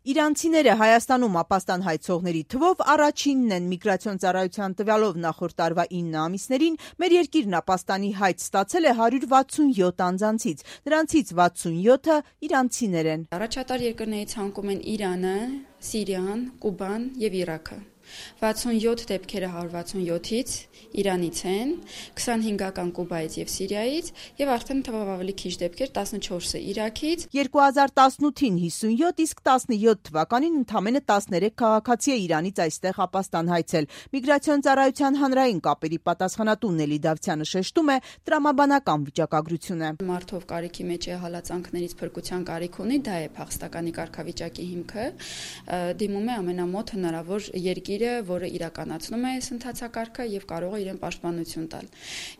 Իրանցիները Հայաստանում ապաստան հայցողների թվով առաջինն են։ Միգրացիոն ծառայության տվյալով նախորդ տարվա 9 ամիսներին մեր երկիրն ապաստանի հայց ստացել է 167 անձանցից, նրանցից 67-ը իրանցիներ են։ Առաջատար երկրներից ցանկում են Իրանը, Սիրիան, Կուբան եւ Իրաքը։ 67 դեպքերը 167-ից Իրանից են, 25-ական Կուբայից եւ Սիրիայից եւ արդեն թվով ավելի քիչ դեպքեր 14-ը Իրաքից։ 2018-ին 57, իսկ 17 թվականին ընդամենը 13 քաղաքացի է Իրանից այստեղ ապաստան հայցել։ Միգրացիոն ծառայության հանրային կապերի պատասխանատու Նելի Դավթյանը շեշտում է տրամաբանական վիճակագրությունը։ Մարդով կարիքի մեջ է հալածանքներից փրկության կարիք ունի, դա է փախստականի կարգավիճակի հիմքը, դիմում է ամենամոտ հնարավոր երկիրը, որը իրականացնում է այս ընթացակարգը եւ կարող է իրեն պաշտպանություն տալ։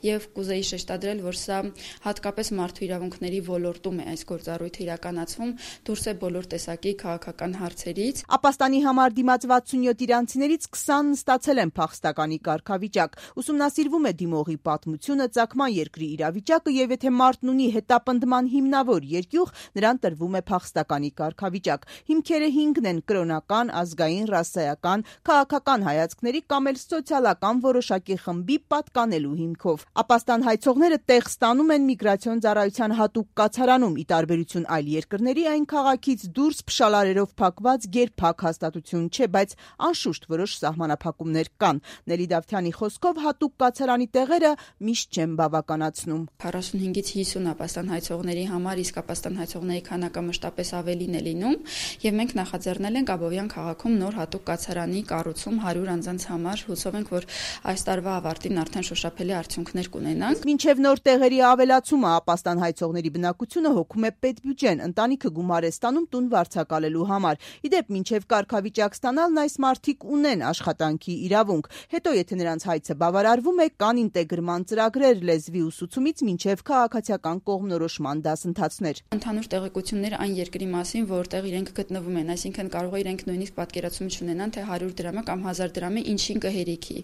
Եվ կուզեի շեշտադրել, որ սա հատկապես մարդու իրավունքների ոլորտում է այս գործառույթը իրականացվում, դուրս է բոլոր տեսակի քաղաքական հարցերից։ Ապաստանի համար դիմաց 67 իրանցիներից 20-ն ստացել են փախստականի կարգավիճակ։ Ուսումնասիրվում է դիմողի պատմությունը, ծագման երկրի իրավիճակը եւ եթե մարդն ունի հետապնդման հիմնավոր երկյուղ, նրան տրվում է փախստականի կարգավիճակ։ Հիմքերը 5-ն են՝ կրոնական, ազգային, ռասայական, քաղաքական հայացքների կամ էլ սոցիալական որոշակի խմբի պատկանելու հիմքով։ Ապաստան հայցողները տեղ ստանում են միգրացիոն ծառայության հատուկ կացարանում, ի տարբերություն այլ երկրների այն քաղաքից դուրս փշալարերով փակված գերփակ հաստատություն չէ, բայց անշուշտ որոշ սահմանափակումներ կան։ Նելի Դավթյանի խոսքով հատուկ կացարանի տեղերը միշտ չեն բավականացնում։ 45-ից 50 ապաստան հայցողների համար իսկ ապաստան հայցողների քանակը մշտապես ավելին է լինում եւ մենք նախաձեռնել ենք Աբովյան քաղաքում նոր հատուկ կացարանի կառուցում 100 անձանց համար, հուսով ենք, որ այս տարվա ավարտին արդեն շոշափելի արդյունքներ կունենանք։ Մինչև նոր տեղերի ավելացումը ապաստան հայցողների բնակությունը հոգում է պետբյուջեն, ընտանիքը գումար է ստանում տուն վարձակալելու համար։ Իդեպ մինչև կարգավիճակ ստանալն այս մարդիկ ունեն աշխատանքի իրավունք։ Հետո եթե նրանց հայցը բավարարվում է, կան ինտեգրման ծրագրեր լեզվի ուսուցումից մինչև քաղաքացիական կողմնորոշման դասընթացներ։ Ընդհանուր տեղեկություններ այն երկրի մասին, որտեղ իրենք գտնվում են, այսինքն կարող է իրենք նույնիսկ պատկերացում չունենան, թե 100 դրամը կամ 1000 դրամը ինչին կհերիքի։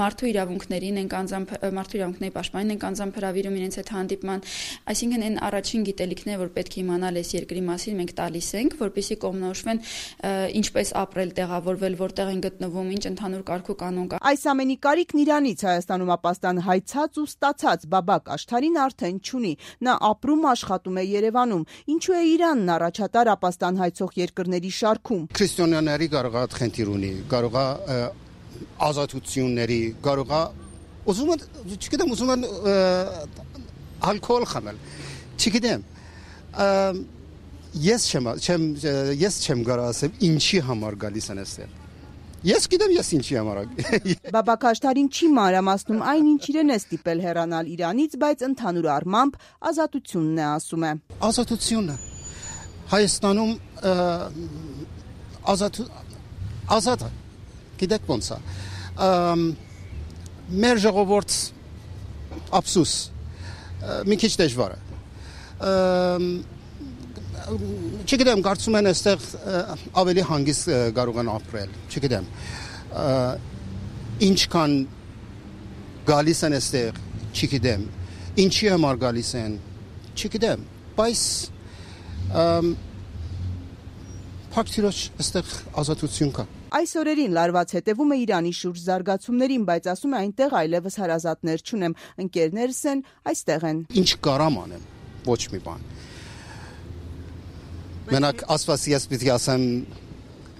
Մարդու իրավունքներին են մարդու իրավունքների պաշտպանին են անձամբ հրավիրում իրենց հետ հանդիպման, այսինքն այն առաջին գիտելիքները, որ պետք է իմանալ այս երկրի մասին, մենք տալիս ենք, որպեսզի կողմնորոշվեն ինչպես ապրել, տեղավորվել, որտեղ են գտնվում, ինչ ընդհանուր կարգ ու կանոն կա։ Այս ամենի կարիքն Իրանից Հայաստանում ապաստան հայցած ու ստացած Բաբակ Աշթարին արդեն չունի։ Նա ապրում աշխատում է Երևանում։ Ինչու է Իրանն առաջատար ապաստան հայցող երկրների շարքում։ Քրիստոնյաների կարող է խնդիր ունի, կարող է ազատությունների, կարող է ուզում են ալկոհոլ խմել։ Չգիտեմ։ Ես չեմ կարող ասեմ ինչի համար գալիս են այստեղ։ Ես գիտեմ ես ինչի համար։ Բաբակ Աշթարին չի մանրամասնում այն, ինչ իրեն է ստիպել հեռանալ Իրանից, բայց ընդհանուր առմամբ ազատությունն է ասում է։ Ազատությունը Հայաստանում ազատ է։ Գիտեք ոնց է։ Մեր ժողովուրդ ափսուս մի քիչ դժվար է։ Չգիտեմ, կարծում են այստեղ ավելի հանգիստ կարող են ապրել։ Չգիտեմ։ Ինչքան գալիս են այստեղ, չգիտեմ։ Ինչի համար գալիս են, չգիտեմ։ Բայց փակտիրոջ այստեղ ազատություն կա։ Այս օրերին լարված հետևում է Իրանի շուրջ զարգացումներին, բայց ասում է այնտեղ այլևս հարազատներ չունեմ, ընկերներս են, այստեղ են։ Ինչ կարամ անեմ, ոչ մի բան։ Մենակ ասված ես պիտի ասեմ,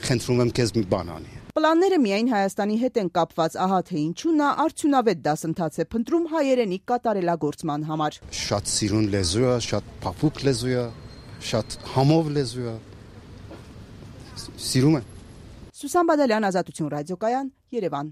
խնդրում եմ քեզ մի բան անի։ Պլանները միայն Հայաստանի հետ են կապված, ահա թե ինչու նա արդյունավետ դասընթաց է փնտրում հայերենի կատարելագործման համար։ Շատ սիրուն լեզու է, շատ փափուկ լեզու է, շատ համով լեզու է։ Սիրում եմ։ Սուսան Բադալյան, Ազատություն ռադիոկայան, Երևան։